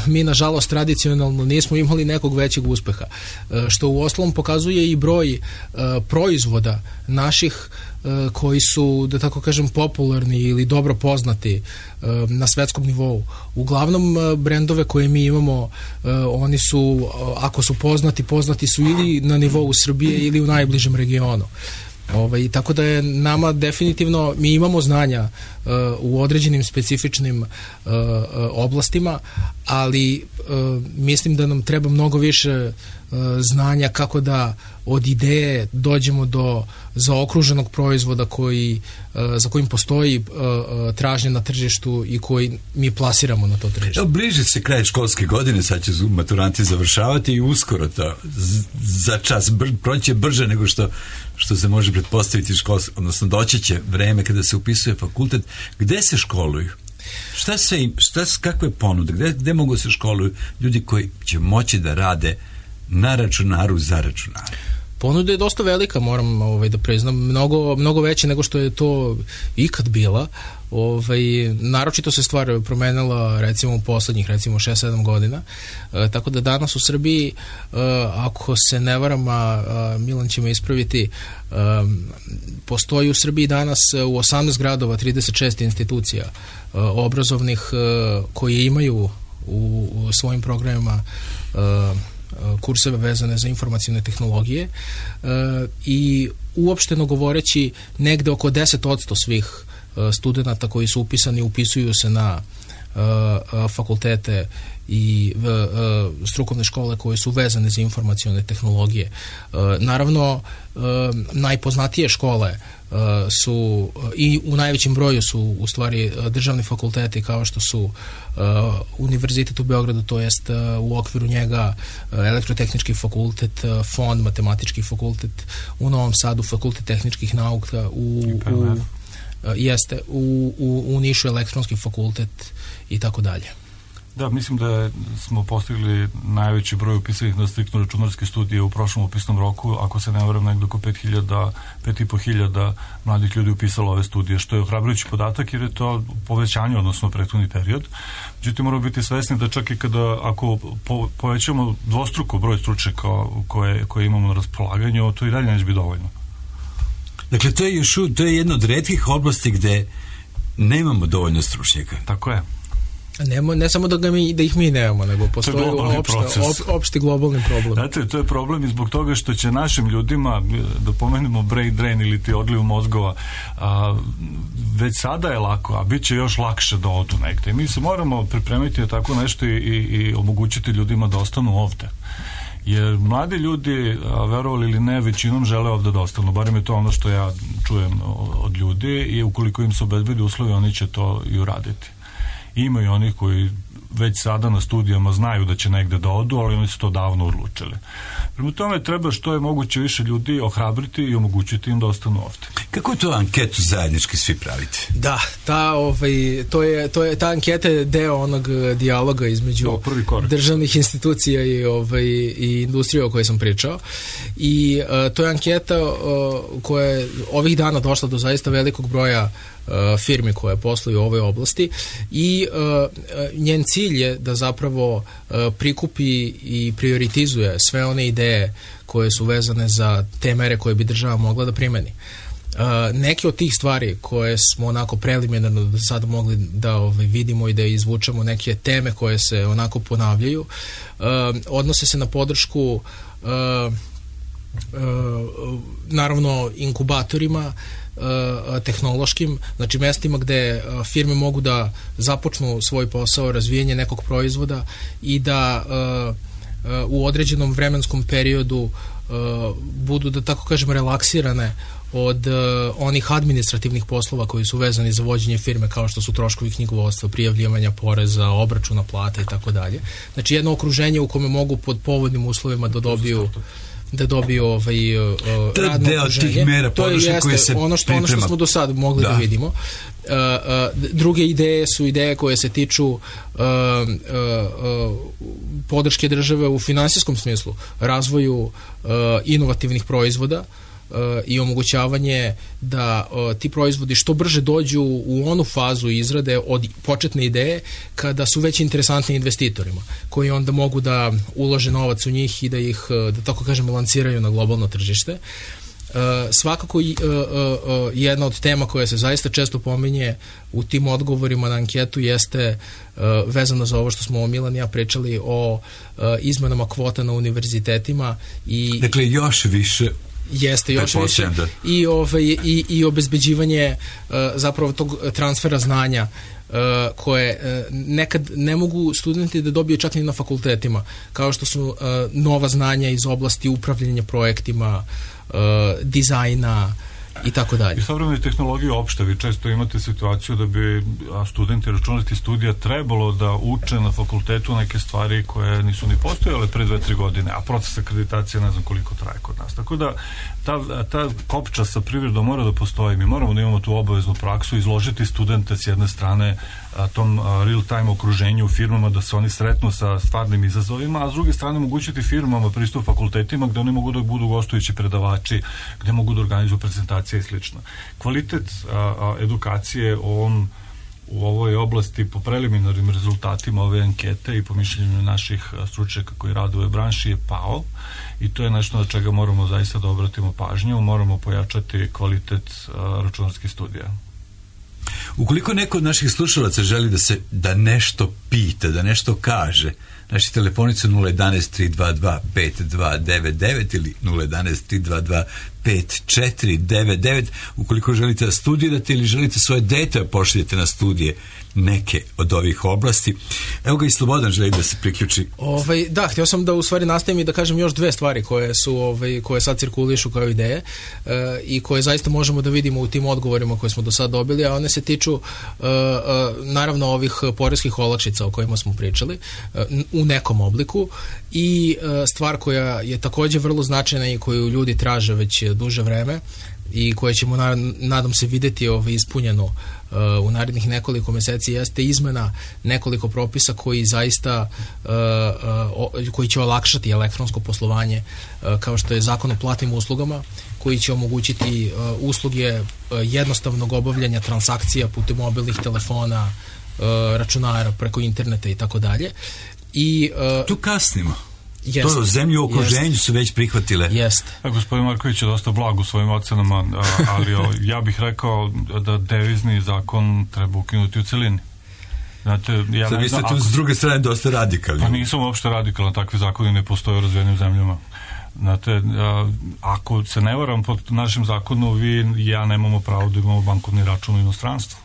mi nažalost tradicionalno nismo imali nekog većeg uspeha, što u ostalom pokazuje i broj proizvoda naših koji su, da tako kažem, popularni ili dobro poznati na svetskom nivou. Uglavnom brendove koje mi imamo, oni su, ako su poznati su ili na nivou Srbije ili u najbližem regionu. Tako da je nama definitivno, mi imamo znanja u određenim specifičnim oblastima, ali mislim da nam treba mnogo više znanja kako da od ideje dođemo do zaokruženog proizvoda za kojim postoji tražnja na tržištu i koji mi plasiramo na to tržište. Bliži se kraj školske godine, sad će maturanti završavati i uskoro to za čas proći će brže nego što se može pretpostaviti odnosno doći će vreme kada se upisuje fakultet. Gde se školuju? Kakve ponude? Gde mogu se školuju ljudi koji će moći da rade na računaru za računar? Ponuda je dosta velika, moram da priznam, mnogo veće nego što je to ikad bila. Naročito se stvar promenila recimo u poslednjih 6-7 godina, tako da danas u Srbiji, ako se ne varam, Milan će me ispraviti, postoji u Srbiji danas u 18 gradova 36 institucija obrazovnih koje imaju u svojim programima kurseve vezane za informacione tehnologije i uopšteno govoreći negde oko 10% svih studenta koji su upisani upisuju se na fakultete i strukovne škole koje su vezane za informacione tehnologije. Naravno, najpoznatije škole su i u najvećem broju su u stvari državni fakulteti kao što su Univerzitet u Beogradu, to jest u okviru njega Elektrotehnički fakultet, FON, Matematički fakultet, u Novom Sadu Fakultet tehničkih nauka, u Nišu Elektronski fakultet i tako dalje. Da, mislim da smo postigli najveći broj upisanih na striktno računarske studije u prošlom upisnom roku, ako se ne varam, negdje oko 5.500 mladih ljudi upisalo ove studije, što je ohrabrujući podatak jer je to povećanje odnosno prethodni period. Međutim, moramo biti svesni da čak i ako povećamo dvostruko broj stručnjaka koje imamo na raspolaganju, to i dalje neće biti dovoljno. Dakle, to je jedna od retkih oblasti gde nemamo dovoljno stručnjaka. Tako je. Ne samo da ih mi nemamo, nego postoji opšti globalni problem. Znate, to je problem i zbog toga što će našim ljudima, da pomenemo brain drain ili ti odliv mozgova, već sada je lako, a bit će još lakše da odu negde. I mi se moramo pripremiti na tako nešto i omogućiti ljudima da ostanu ovde. Jer mladi ljudi, verovali ili ne, većinom žele ovde da ostanu, barem je to ono što ja čujem od ljudi, i ukoliko im se obezbedi uslovi, oni će to i uraditi. Ima i onih koji već sada na studijama znaju da će negde da odu, ali oni su to davno odlučili. Prema tome treba što je moguće više ljudi ohrabriti i omogućiti im da ostanu ovde. Kako to anketu zajednički svi pravite? Da, ta anketa je deo onog dijaloga između državnih institucija i industrije o kojoj sam pričao. I to je anketa koja je ovih dana došla do zaista velikog broja firmi koje posluju u ovoj oblasti i njen cilj je da zapravo prikupi i prioritizuje sve one ideje koje su vezane za te mere koje bi država mogla da primeni. Neke od tih stvari koje smo onako preliminarno do sada mogli da vidimo i da izvučemo, neke teme koje se onako ponavljaju, odnose se na podršku naravno inkubatorima tehnološkim, znači mestima gde firme mogu da započnu svoj posao, razvijenje nekog proizvoda i da u određenom vremenskom periodu budu, da tako kažem, relaksirane od onih administrativnih poslova koji su vezani za vođenje firme, kao što su troškovi knjigovodstva, prijavljivanja poreza, obračuna plata i tako dalje. Znači jedno okruženje u kome mogu pod povoljnim uslovima da dobiju radno okruženje. To je ono što smo do sad mogli da vidimo. Druge ideje su ideje koje se tiču podrške države u finansijskom smislu, razvoju inovativnih proizvoda i omogućavanje da ti proizvodi što brže dođu u onu fazu izrade od početne ideje kada su već interesantni investitorima, koji onda mogu da ulože novac u njih i da ih, da tako kažem, lansiraju na globalno tržište. Svakako jedna od tema koja se zaista često pominje u tim odgovorima na anketu jeste vezano za ovo što smo Milan i ja pričali o izmenama kvota na univerzitetima i dakle još više jeste još više i obezbeđivanje zapravo tog transfera znanja koje nekad ne mogu studenti da dobiju čak ni na fakultetima, kao što su nova znanja iz oblasti upravljanja projektima, dizajna i tako dalje. I savremene tehnologije opšte, vi često imate situaciju da bi studenti računarskih studija trebalo da uče na fakultetu neke stvari koje nisu ni postojale pre 2-3 godine, a proces akreditacije ne znam koliko traje kod nas. Tako da ta kopča sa privredom mora da postoji. Mi moramo da imamo tu obaveznu praksu, izložiti studente s jedne strane tom real-time okruženju u firmama, da se oni sretnu sa stvarnim izazovima, a s druge strane omogućiti firmama pristup fakultetima gde oni mogu da budu gostujući predavači, gde mogu da organizuju prezentacije i slično. Kvalitet edukacije u ovoj oblasti po preliminarnim rezultatima ove ankete i po mišljenju naših stručnjaka koji rade u ovoj branši je pao i to je nešto na čega moramo zaista da obratimo pažnju, moramo pojačati kvalitet računarskih studija. Ukoliko neko od naših slušalaca želi da nešto pita, da nešto kaže, naši telefoni su 011-322-5299 ili 011-322-5499. Ukoliko želite da studirate ili želite svoje dete pošaljete na studije neke od ovih oblasti. Evo ga i Slobodan želi da se priključi. Da, htio sam da u stvari nastavim i da kažem još dve stvari koje sad cirkulišu kao ideje i koje zaista možemo da vidimo u tim odgovorima koje smo do sad dobili, a one se tiču naravno ovih poreskih olakšica o kojima smo pričali u nekom obliku i stvar koja je takođe vrlo značajna i koju ljudi traže već duže vreme i koje ćemo nadam se videti ispunjeno u narednih nekoliko meseci jeste izmena nekoliko propisa koji zaista koji će olakšati elektronsko poslovanje, kao što je Zakon o platnim uslugama koji će omogućiti usluge jednostavnog obavljanja transakcija putem mobilnih telefona, računara, preko interneta i tako dalje. I tu kasnimo. To zemlje u okruženju su već prihvatile. Gospodin Marković je dosta blag u svojim ocenama, ali ja bih rekao da devizni zakon treba ukinuti u celini. Znate, vi ste tu s druge strane dosta radikalni. Pa nisam uopšte radikalan, takvi zakoni ne postoje u razvijenim zemljama. Znate, ako se ne varam pod našem zakonu, vi i ja nemamo pravo da imamo bankovni račun u inostranstvu.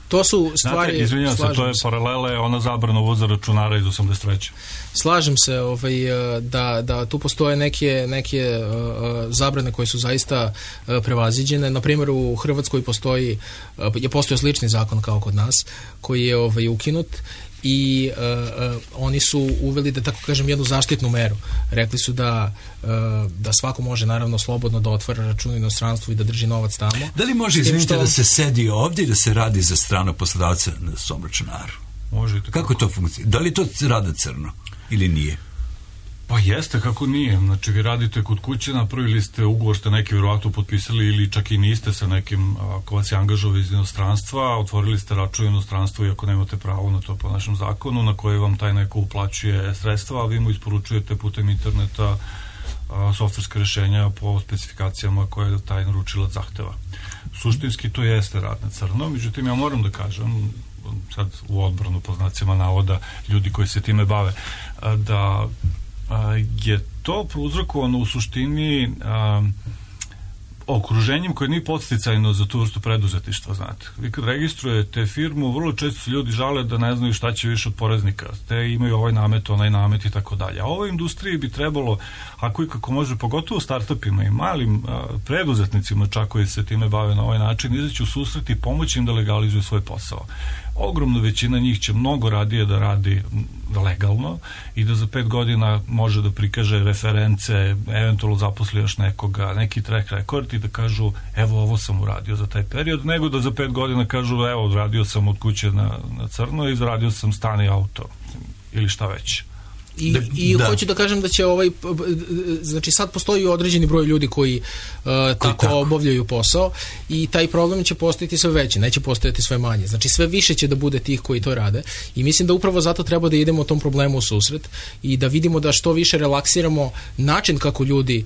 To su stvari... Znate, izvinjam se, to je paralela, ona zabrana uvoza računara iz 83. Slažem se da tu postoje neke zabrane koje su zaista prevaziđene. Na primjer, u Hrvatskoj postoji slični zakon kao kod nas, koji je ukinut i oni su uveli, da tako kažem, jednu zaštitnu meru. Rekli su da svako može naravno slobodno da otvara račun u inostranstvu i da drži novac tamo. Da li može, izvinite, da se sedi ovdje i da se radi za stranog poslodavca na svom računaru? Možete. Kako to funkcionira? Da li to rada crno ili nije? Pa jeste, kako nije. Znači, vi radite kod kuće, napravili ste ugovor, ste neki vjerovatno potpisali ili čak i niste sa nekim ko vas je angažovao iz inostranstva, otvorili ste račun u inostranstvu iako nemate pravo na to po našem zakonu, na koje vam taj neko uplaćuje sredstva, a vi mu isporučujete putem interneta softverske rešenja po specifikacijama koje taj naručilac zahteva. Suštinski to jeste rad na crno, međutim ja moram da kažem, sad u odbranu po znacima navoda ljudi koji se time bave, da je to prouzrokovano u suštini okruženjem koje nije podsticajno za tu vrstu preduzetništva, znate. Vi kad registrujete firmu, vrlo često se ljudi žale da ne znaju šta će više od poreznika. Te imaju ovaj namet, onaj namet i tako dalje. A ovoj industriji bi trebalo, ako i kako može, pogotovo startupima i malim preduzetnicima čak koji se time bave na ovaj način, izaći u susret i pomoći im da legalizuju svoj posao. Ogromna većina njih će mnogo radije da radi legalno i da za 5 godina može da prikaže reference, eventualno zaposli još nekoga, neki track record i da kažu evo ovo sam uradio za taj period, nego da za 5 godina kažu evo radio sam od kuće na crno i zaradio sam stan i auto ili šta već. I hoću da kažem da će znači sad postoji određeni broj ljudi koji tako obavljaju posao i taj problem će postojati sve veći, neće postojati sve manje. Znači sve više će da bude tih koji to rade i mislim da upravo zato treba da idemo tom problemu u susret i da vidimo da što više relaksiramo način kako ljudi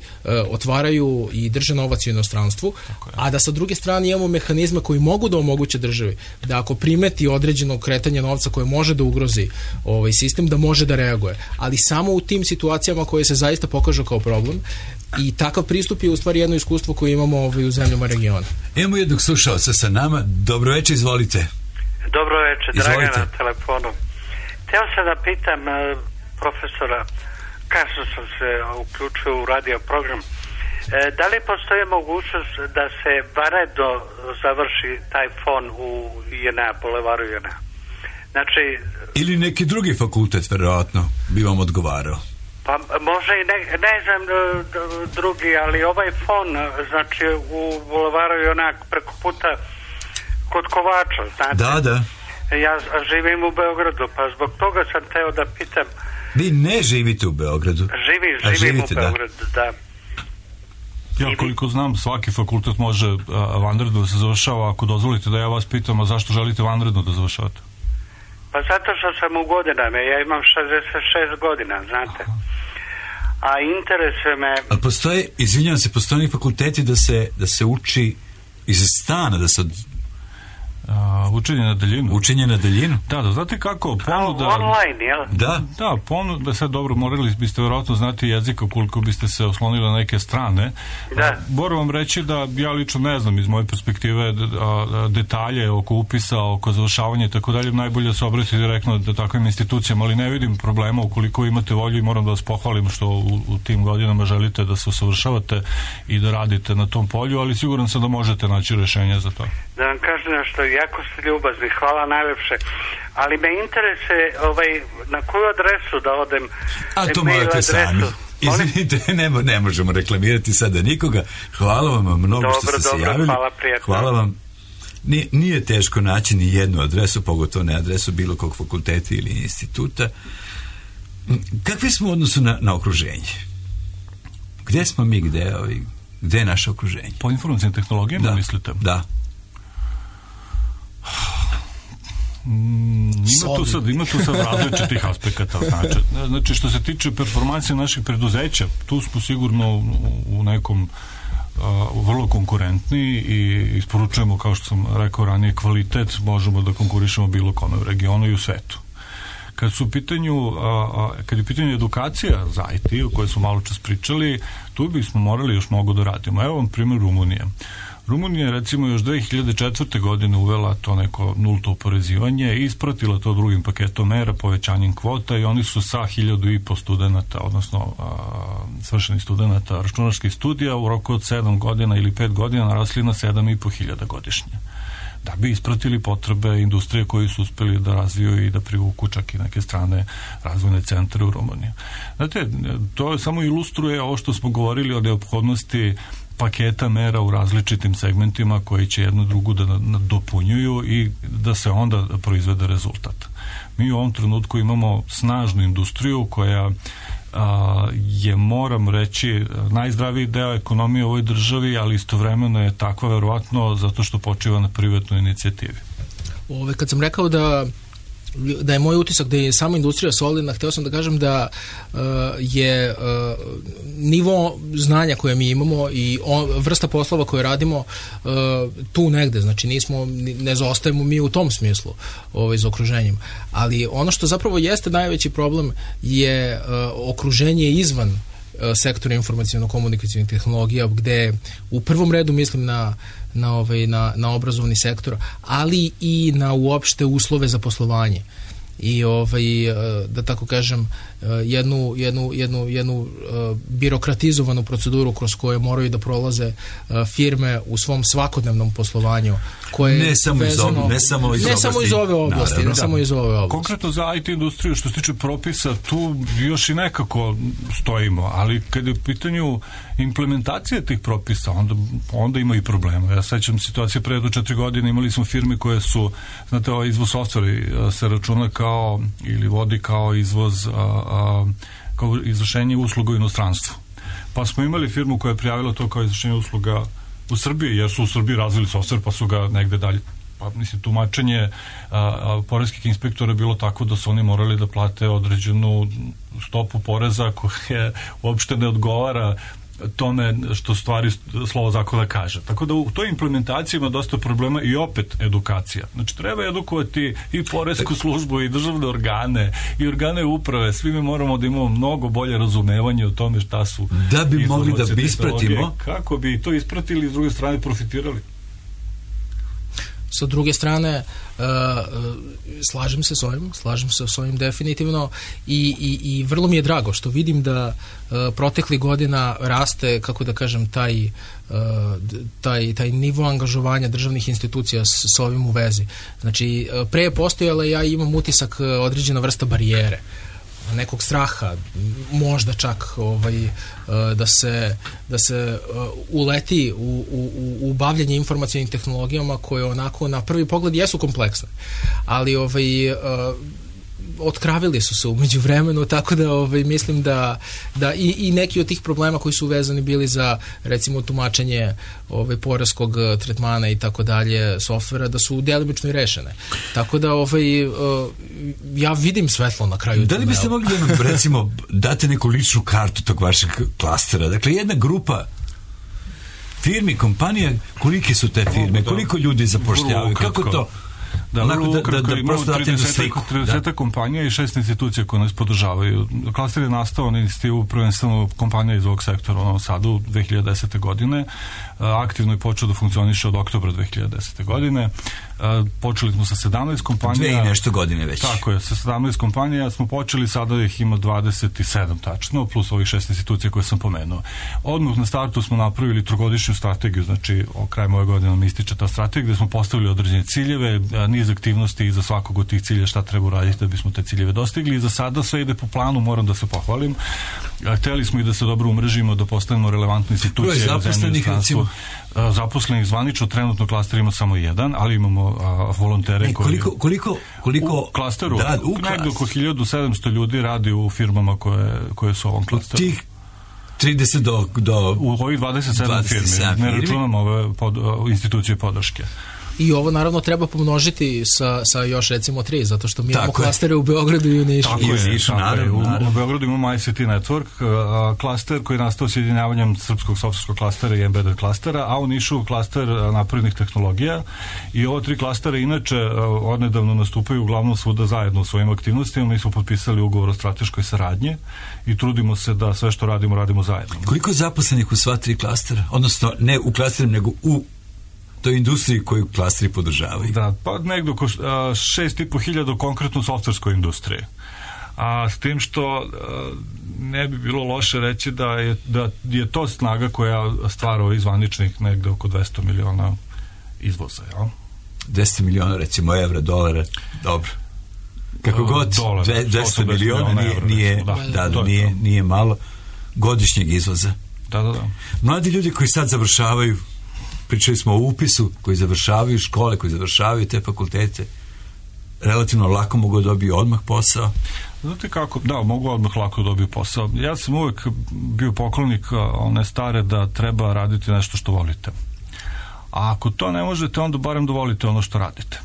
otvaraju i drže novac u inostranstvu, a da sa druge strane imamo mehanizme koji mogu da omoguće državi da ako primeti određeno kretanje novca koje može da ugrozi sistem, da može da reaguje. Ali samo u tim situacijama koje se zaista pokažu kao problem i takav pristup je u stvari jedno iskustvo koje imamo u zemljama regiona. Imamo jednog slušalca sa nama. Dobro večer, izvolite. Dobro večer, Dragan na telefonu. Hteo sam da pitam profesora, kasno sam se uključio u radio program, da li postoji mogućnost da se vanredno završi taj fon u JNA, Bulevaru JNA? Znači, ili neki drugi fakultet, verovatno, bi vam odgovarao. Pa može i ne znam drugi, ali ovaj fon, znači u Bulevaru JNA preko puta kod Kovača, znate? Da. Ja živim u Beogradu, pa zbog toga sam teo da pitam. Vi ne živite u Beogradu? Živim u Beogradu, da. Ja koliko znam, svaki fakultet može vanredno da se završava. Ako dozvolite da ja vas pitam, a zašto želite vanredno da završavate? Pa zato što sam u godinama, ja imam 66 godina, znate. A interesuje me... A postoje, izvinjavam se, postoje fakulteti da se uči iz stana, da se... Učenje na daljinu. Učenje na daljinu? Da, znate kako, ponuda... Online, jel? Da, ponuda, sad dobro, morali biste verovatno znati jezika koliko biste se oslonili na neke strane. Da. Moram vam reći da ja lično ne znam iz moje perspektive detalje oko upisa, oko završavanja i tako dalje, najbolje se obratiti direktno da takvim institucijama, ali ne vidim problema ukoliko imate volju i moram da vas pohvalim što u tim godinama želite da se usavršavate i da radite na tom polju, ali siguran sam da možete naći rešenje za to. Da vam kažem nešto, jako ste ljubazni, hvala najlepše, ali me interesuje na koju adresu da odem. A to morate sami. Izvinite, ne možemo reklamirati sada nikoga. Hvala vam mnogo što ste se javili. Hvala, prijatno. Hvala vam. Nije teško naći ni jednu adresu, pogotovo ne adresu bilo kog fakulteta ili instituta. Kakvi smo u odnosu na okruženje? Gde smo mi, gde je naše okruženje? Po informacijnim tehnologijama, mislite? Da. Ima tu sad različitih aspekata. Znači, što se tiče performancije naših preduzeća, tu smo sigurno u nekom vrlo konkurentni i isporučujemo, kao što sam rekao ranije, kvalitet, možemo da konkurišemo bilo kome u regionu i u svetu. Kad je u pitanju edukacija za IT, o kojoj smo malo čas pričali, tu bismo morali još mnogo da radimo. Evo vam primjer Rumunije. Rumunija je recimo još 2004. godine uvela to neko nulto oporezivanje i ispratila to drugim paketom mera, povećanjem kvota i oni su sa 1.500 studenta, odnosno svršenih studenta računarskih studija u roku od 7 godina ili 5 godina narasli na 7.500 godišnje. Da bi ispratili potrebe industrije koji su uspeli da razviju i da privuku čak i neke strane razvojne centre u Rumuniji. Znate, to samo ilustruje ovo što smo govorili o neophodnosti paketa mera u različitim segmentima koji će jednu drugu da dopunjuju i da se onda proizvede rezultat. Mi u ovom trenutku imamo snažnu industriju koja je, moram reći, najzdraviji deo ekonomije u ovoj državi, ali istovremeno je takva verovatno zato što počiva na privatnoj inicijativi. Kad sam rekao da je moj utisak da je sama industrija solidna, hteo sam da kažem da je nivo znanja koje mi imamo i vrsta poslova koje radimo tu negde, znači ne zaostajemo mi u tom smislu za okruženjem, ali ono što zapravo jeste najveći problem je okruženje izvan sektora informaciono-komunikacijnih tehnologija, gde u prvom redu mislim na obrazovni sektor, ali i na uopšte uslove za poslovanje i da tako kažem jednu birokratizovanu proceduru kroz koje moraju da prolaze firme u svom svakodnevnom poslovanju koje ne samo iz ove oblasti. Konkretno za IT industriju, što se tiče propisa, tu još i nekako stojimo, ali kad je u pitanju implementacije tih propisa, onda ima i problema. Ja sećam situacije pre 4 godine, imali smo firme koje su, znate, ovaj izvoz softvera se računa kao ili vodi kao izvoz kao izvršenje usluga u inostranstvu. Pa smo imali firmu koja je prijavila to kao izvršenje usluga u Srbiji, jer su u Srbiji razvili software pa su ga negde dalje. Pa mislim, tumačenje poreskih inspektora je bilo tako da su oni morali da plate određenu stopu poreza koja uopšte ne odgovara tome što stvari slovo zakona kaže. Tako da u toj implementaciji ima dosta problema i opet edukacija. Znači treba edukovati i poresku službu i državne organe i organe uprave. Svi mi moramo da imamo mnogo bolje razumevanje o tome šta su da bi mogli da bi ispratimo. Kako bi to ispratili i s druge strane profitirali. Sa druge strane, slažem se s ovim definitivno i vrlo mi je drago što vidim da proteklih godina raste, kako da kažem, taj nivo angažovanja državnih institucija s ovim u vezi. Znači, pre je postojala, ja imam utisak, određena vrsta barijere, nekog straha, možda čak da se uleti u bavljanje informacionim tehnologijama koje onako na prvi pogled jesu kompleksne, ali otkravili su se u međuvremenu, tako da mislim da i neki od tih problema koji su vezani bili za, recimo, tumačenje poreskog tretmana i tako dalje, softvera, da su delimično i rešene. Tako da ja vidim svetlo na kraju. Da li biste mogli da nam, recimo, date neku ličnu kartu tog vašeg klastera? Dakle, jedna grupa firmi, kompanija, kolike su te firme, koliko ljudi zapošljavaju, kako to? Da, imamo 30 kompanija i 6 institucija koje nas podržavaju. Klaster je nastao na inicijativu prvenstveno kompanija iz ovog sektora u Novom Sadu 2010. godine. Aktivno je počeo da funkcioniše od oktobra 2010. godine. Počeli smo sa 17 kompanija. 2 i nešto godine već. Tako je, sa 17 kompanija smo počeli, sada ih ima 27 tačno, plus ovih 6 institucija koje sam pomenuo. Odmah na startu smo napravili trogodišnju strategiju, znači krajem ove godine nam ističe ta strategija, gde smo postavili određene ciljeve, niz aktivnosti i za svakog od tih cilja šta treba uraditi da bismo te ciljeve dostigli i za sada sve ide po planu, moram da se pohvalim. Hteli smo i da se dobro umrežimo, da postanemo relevantne institucije. Zaposlenih, recimo? Zaposlenih zvanično, trenutno klaster ima samo jedan, ali imamo volontere koji... Koliko? U klasteru, negdje oko 1700 ljudi radi u firmama koje su u ovom klasteru. Tih 30 do... U ovih 27 firmi, ne računamo ove institucije podrške. I ovo naravno treba pomnožiti sa još recimo 3, zato što mi imamo klastere u Beogradu i u Nišu. U Beogradu imamo ICT Network, klaster koji je nastao sjedinjavanjem srpskog softverskog klastera i embedded klastera, a u Nišu klaster naprednih tehnologija. I ovo 3 klastera inače odnedavno nastupaju uglavnom svuda zajedno u svojim aktivnostima. Mi smo potpisali ugovor o strateškoj saradnji i trudimo se da sve što radimo zajedno. Koliko je zaposlenih u sva 3 klastera? Odnosno, ne u klasterima, nego u toj industriji koju klasteri podržavaju? Da, pa negdje oko 6.500 konkretno u softverskoj industriji. A s tim što ne bi bilo loše reći da je to snaga koja stvara ovih zvaničnih negdje oko 200 miliona izvoza, jel? 200 miliona, recimo, evra, dolara, dobro. Kako god, 200 miliona nije malo godišnjeg izvoza. Da. Mladi ljudi koji sad završavaju, pričali smo o upisu, koji završavaju škole, koji završavaju te fakultete, relativno lako mogu dobiti odmah posao. Znate kako? Da, mogu odmah lako dobiti posao. Ja sam uvijek bio poklonik one stare da treba raditi nešto što volite. A ako to ne možete, onda barem dovolite ono što radite.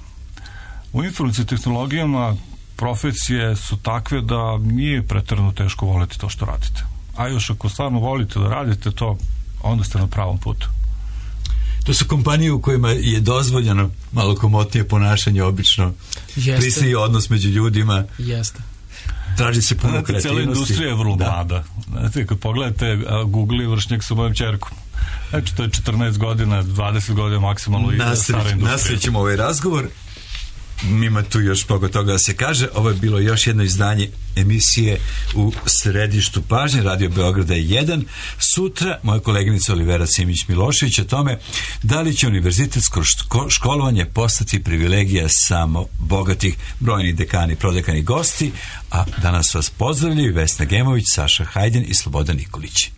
U informacijskim tehnologijama profesije su takve da nije pretjerano teško voliti to što radite. A još ako stvarno volite da radite to, onda ste na pravom putu. To su kompanije u kojima je dozvoljeno malo komotnije ponašanje, obično prisni odnos među ljudima. Jeste. Traži se puno kreativnosti. Cijela industrija je vrlo mlada. Znate, kad pogledate Google i vršnjak sa mojom čerkom. Znači, to je 14 godina, 20 godina maksimalno i stara industrija. Nastavit ovaj razgovor. Ima tu još mnogo toga da se kaže. Ovo je bilo još jedno izdanje emisije U središtu pažnje, Radio Beograda 1. Sutra moja koleginica Olivera Simić-Milošević o tome da li će univerzitetsko školovanje postati privilegija samo bogatih, brojni dekani, prodekani gosti, a danas vas pozdravljaju Vesna Gemović, Saša Hajdin i Slobodan Nikolić.